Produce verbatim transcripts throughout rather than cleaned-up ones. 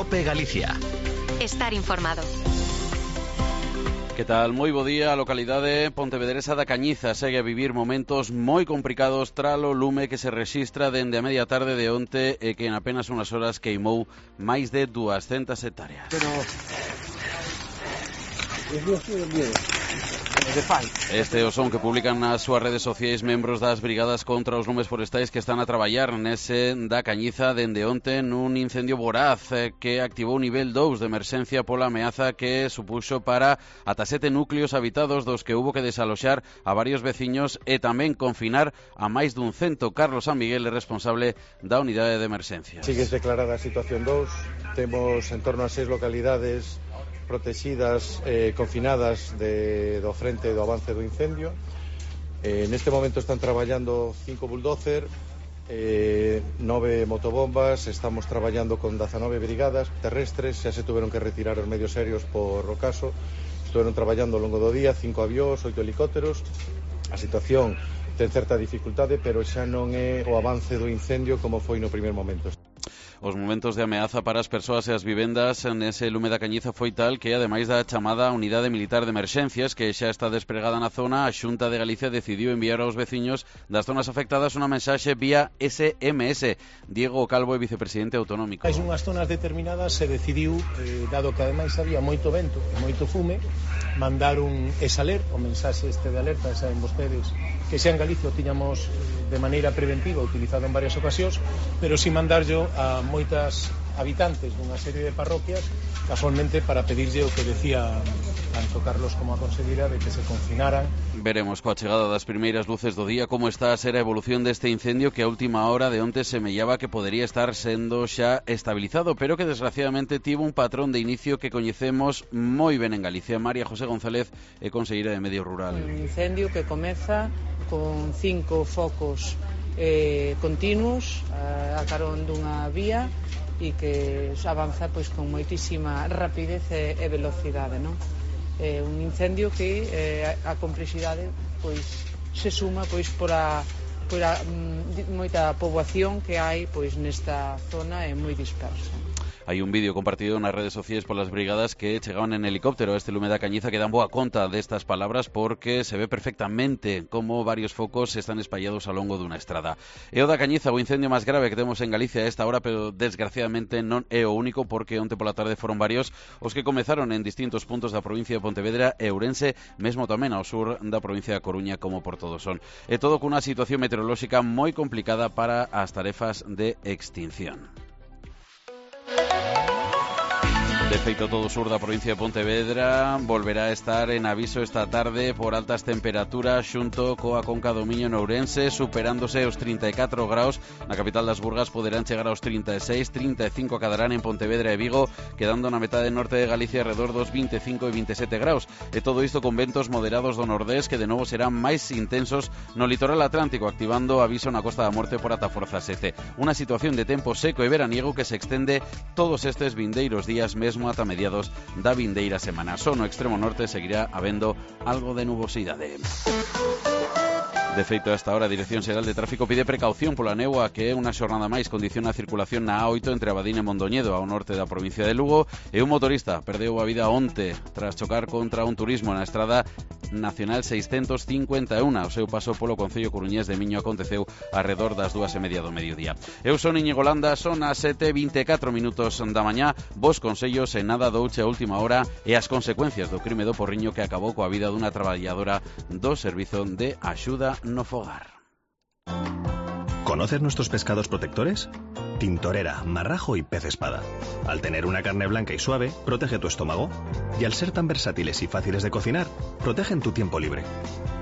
COPE Galicia. Estar informado. Que tal? Moi bo día. A localidade pontevedresa da Cañiza segue a vivir momentos moi complicados tralo lume que se rexistra dende a media tarde de onte e que en apenas unhas horas queimou máis de duascentas hectáreas. Pero... Este é o son que publican nas súas redes sociais membros das brigadas contra os lumes forestais que están a traballar nese da Cañiza dende onte nun incendio voraz que activou o nivel dous de emerxencia pola ameaza que supuxo para ata sete núcleos habitados dos que hubo que desaloxar a varios veciños e tamén confinar a máis dun cento. Carlos San Miguel é responsable da unidade de emerxencia. Sigue declarada a situación dous, temos en torno a seis localidades protegidas, eh, confinadas de, do frente do avance do incendio. Eh, neste momento están traballando cinco bulldozer, eh, nove motobombas, estamos traballando con dezanove brigadas terrestres, xa se tuveron que retirar os medios serios por o caso, estuveron traballando ao longo do día, cinco avións, oito helicópteros. A situación ten certa dificultade, pero xa non é o avance do incendio como foi no primer momento. Os momentos de ameaza para as persoas e as vivendas nese lume da Cañiza foi tal que, ademais da chamada Unidade Militar de Emerxencias, que xa está despregada na zona, a Xunta de Galicia decidiu enviar aos veciños das zonas afectadas unha mensaxe vía ese eme ese. Diego Calvo é vicepresidente autonómico. Hai unhas zonas determinadas se decidiu, eh, dado que ademais había moito vento e moito fume, mandar un exaler, o mensaxe este de alerta, saben vostedes que xa en Galicia o tiñamos de maneira preventiva utilizado en varias ocasións, pero si mandarlo a moitas habitantes dunha serie de parroquias, casualmente para pedirlle o que decía tanto Carlos como a consellera de que se confinaran. Veremos coa chegada das primeiras luces do día como está a ser a evolución deste incendio que a última hora de onte semellaba que podería estar sendo xa estabilizado, pero que desgraciadamente tivo un patrón de inicio que coñecemos moi ben en Galicia. María José González é conselleira de Medio Rural. Un incendio que comeza con cinco focos eh, continuos a, a carón dunha vía e que avanza pois con moitísima rapidez e, e velocidade, non? É un incendio que eh, a complexidade pois se suma pois por a, por a m, moita poboación que hai pois nesta zona é moi dispersa. Hai un vídeo compartido nas redes sociais polas brigadas que chegaban en helicóptero a este lume da Cañiza que dan boa conta destas palabras porque se ve perfectamente como varios focos están espallados ao longo dunha estrada. E o da Cañiza, o incendio máis grave que temos en Galicia a esta hora, pero desgraciadamente non é o único porque onte pola tarde foron varios os que comezaron en distintos puntos da provincia de Pontevedra e Ourense, mesmo tamén ao sur da provincia da Coruña como por todo son. E todo cunha situación meteorolóxica moi complicada para as tarefas de extinción. De feito, todo o sur da provincia de Pontevedra volverá a estar en aviso esta tarde por altas temperaturas xunto coa conca do Miño en Ourense, superándose os trinta e catro graus. Na capital das Burgas poderán chegar aos trinta e seis, trinta e cinco cadarán en Pontevedra e Vigo, quedando na metade norte de Galicia alrededor dos vinte e cinco e vinte e sete graus. E todo isto con ventos moderados do nordés que de novo serán máis intensos no litoral atlántico, activando aviso na Costa da Morte por ata forza sete. Unha situación de tempo seco e veraniego que se extende todos estes vindeiros días mesmo ata mediados da vindeira semana. Só no extremo norte seguirá habendo algo de nubosidade. De feito, a esta hora a Dirección Xeral de Tráfico pide precaución pola néboa que é unha xornada máis condiciona a circulación na A oito entre Abadín e Mondoñedo ao norte da provincia de Lugo e un motorista perdeu a vida onte tras chocar contra un turismo na estrada Nacional seiscentos cincuenta e un. O seu paso polo concello coruñés de Miño aconteceu arredor das dúas e media do mediodía. Eu son Íñigo Landa, son as sete e vinte e catro minutos da mañá. Vos consellos en nada douche a última hora e as consecuencias do crime do Porriño que acabou coa vida dunha traballadora do Servizo de Axuda no Fogar. ¿Conoces nuestros pescados protectores? Tintorera, marrajo y pez espada. Al tener una carne blanca y suave, protege tu estómago. Y al ser tan versátiles y fáciles de cocinar, protegen tu tiempo libre.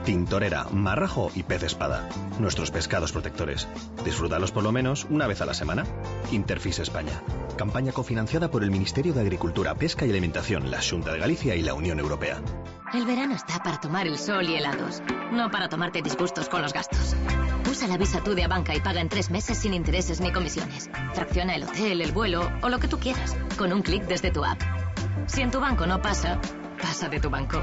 Tintorera, marrajo y pez espada. Nuestros pescados protectores. Disfrútalos por lo menos una vez a la semana. Interfis España. Campaña cofinanciada por el Ministerio de Agricultura, Pesca y Alimentación, la Xunta de Galicia y la Unión Europea. El verano está para tomar el sol y helados, no para tomarte disgustos con los gastos. Usa la Visa Tú de Abanca y paga en tres meses sin intereses ni comisiones. Fracciona el hotel, el vuelo o lo que tú quieras, con un clic desde tu app. Si en tu banco no pasa, pasa de tu banco.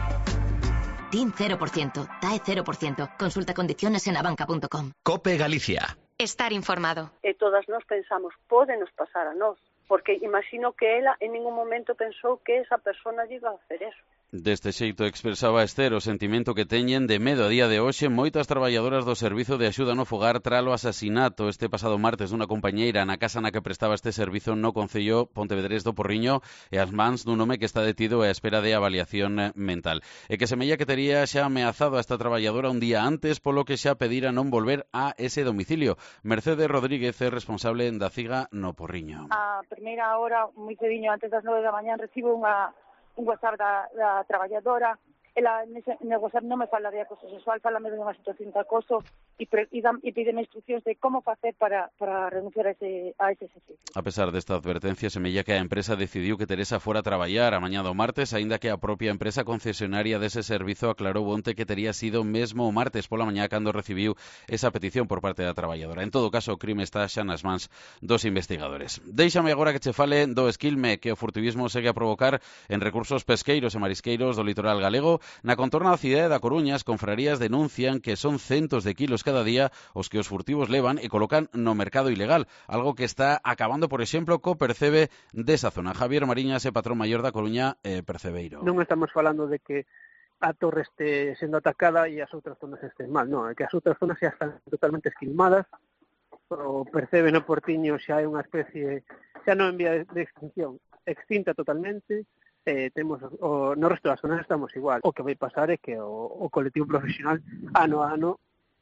T I N cero por ciento, T A E cero por ciento. Consulta condiciones en abanca punto com. COPE Galicia. Estar informado. E todas nós pensamos, pódenos pasar a nós. porque imagino que ela en ningún momento pensou que esa persona lle iba a hacer eso. Deste xeito expresaba Esther o sentimento que teñen de medo a día de hoxe moitas traballadoras do Servizo de Axuda no Fogar tralo asasinato este pasado martes dunha compañeira na casa na que prestaba este servizo no concello pontevedrés do Porriño e as mans dun home que está detido á espera de avaliación mental. E que semella que tería xa ameazado a esta traballadora un día antes, polo que xa pedira non volver a ese domicilio. Mercedes Rodríguez é responsable da CIGA no Porriño. A primeira hora, moi cediño, antes das nove da mañán, recibo unha un WhatsApp da, da traballadora. Ela nese, no WhatsApp non me fala de acoso sexual, falame de unha situación de acoso e, pre, e, dan, e pídeme instruccións de como facer para, para renunciar a ese, a ese servicio. A pesar desta advertencia, semella que a empresa decidiu que Teresa fora a traballar a mañá do martes, aínda que a propia empresa concesionaria dese servizo aclarou onte que tería sido mesmo o martes pola mañá cando recibiu esa petición por parte da traballadora. En todo caso, o crime está xa nas mans dos investigadores. Déixame agora que che fale do esquilme que o furtivismo segue a provocar en recursos pesqueiros e marisqueiros do litoral galego. Na contorna da cidade da Coruña, as confrarías denuncian que son centos de kilos cada día os que os furtivos levan e colocan no mercado ilegal, algo que está acabando, por exemplo, co percebe desa zona. Javier Mariñas é patrón maior da Coruña e percebeiro. Non estamos falando de que a torre este sendo atacada e as outras zonas estén mal, non, é que as outras zonas xa están totalmente esquilmadas, o percebe no Portiño xa é unha especie, xa non en vía de extinción, extinta totalmente. Eh, temos o, no resto das zonas estamos igual. O que vai pasar é que o, o colectivo profesional ano a ano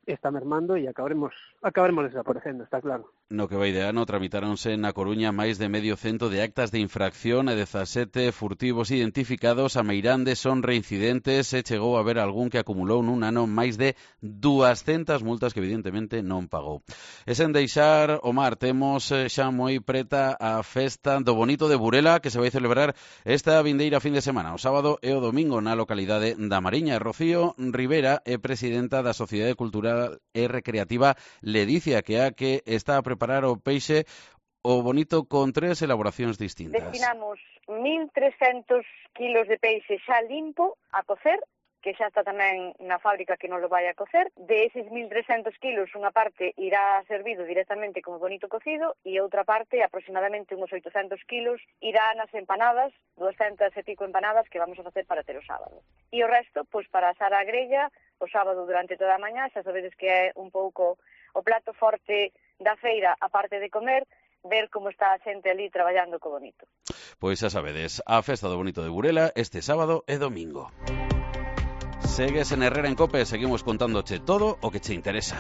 está mermando e acabaremos acabaremos desaparecendo, está claro. No que vai de ano tramitáronse na Coruña máis de medio cento de actas de infracción e dezasete furtivos identificados. A meirande son reincidentes e chegou a haber algún que acumulou nun ano máis de duascentas multas que evidentemente non pagou. E sen deixar o mar, temos xa moi preta a festa do Bonito de Burela que se vai celebrar esta vindeira fin de semana, o sábado e o domingo na localidade da Mariña. Rocío Rivera é presidenta da Sociedade Cultural e Recreativa Ledicia, que a que está a preparar o peixe o bonito con tres elaboracións distintas. Destinamos mil trescentos kilos de peixe xa limpo a cocer, que xa está tamén na fábrica que non lo vai a cocer. De eses mil trescentos kilos, unha parte irá servido directamente como bonito cocido e outra parte, aproximadamente uns oitocentos kilos, irá nas empanadas, doscientas e pico empanadas que vamos a facer para ter o sábado. E o resto, pois para asar a grella, o sábado durante toda a mañá, xa sabedes que é un pouco o plato forte da feira, a parte de comer, ver como está a xente ali traballando co bonito. Pois xa sabedes, a festa do Bonito de Burela este sábado e domingo. Segues en Herrera en Cope, seguimos contándoche todo o que che interesa.